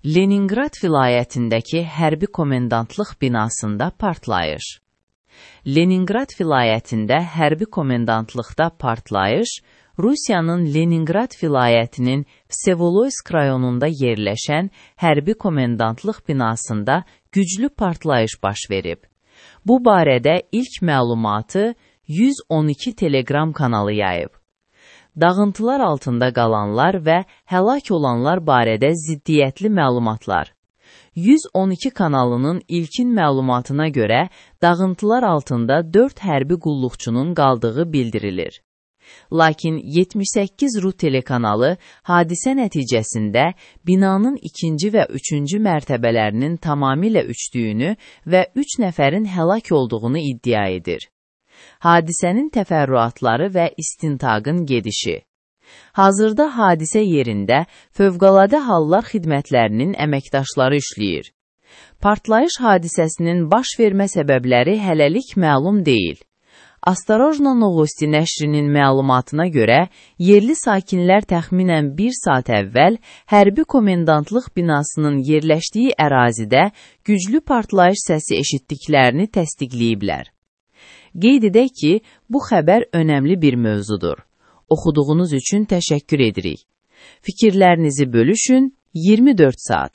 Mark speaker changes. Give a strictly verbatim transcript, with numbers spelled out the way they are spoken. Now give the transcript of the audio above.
Speaker 1: Leningrad vilayətindəki hərbi komendantlıq binasında partlayış. Leningrad vilayətində hərbi komendantlıqda partlayış, Rusiyanın Leningrad vilayətinin Vsevoloysk rayonunda yerləşən hərbi komendantlıq binasında güclü partlayış baş verib. Bu barədə ilk məlumatı yüz on iki Telegram kanalı yayıb. Dağıntılar altında qalanlar və həlak olanlar barədə ziddiyyətli məlumatlar. yüz on iki kanalının ilkin məlumatına görə dağıntılar altında dörd hərbi qulluqçunun qaldığı bildirilir. Lakin yetmiş səkkiz Ru telekanalı hadisə nəticəsində binanın ikinci və üçüncü mərtəbələrinin tamamilə uçdüyünü və üç nəfərin həlak olduğunu iddia edir. Hadisənin təfərrüatları və istintaqın gedişi. Hazırda hadisə yerində Fövqəladə Hallar Xidmətlərinin əməkdaşları işləyir. Partlayış hadisəsinin baş vermə səbəbləri hələlik məlum deyil. Astorojno Novosti nəşrinin məlumatına görə, yerli sakinlər təxminən bir saat əvvəl hərbi komendantlıq binasının yerləşdiyi ərazidə güclü partlayış səsi eşitdiklərini təsdiqləyiblər. Qeyd edək ki, bu xəbər önəmli bir mövzudur. Oxuduğunuz üçün təşəkkür edirik. Fikirlərinizi bölüşün iyirmi dörd saat.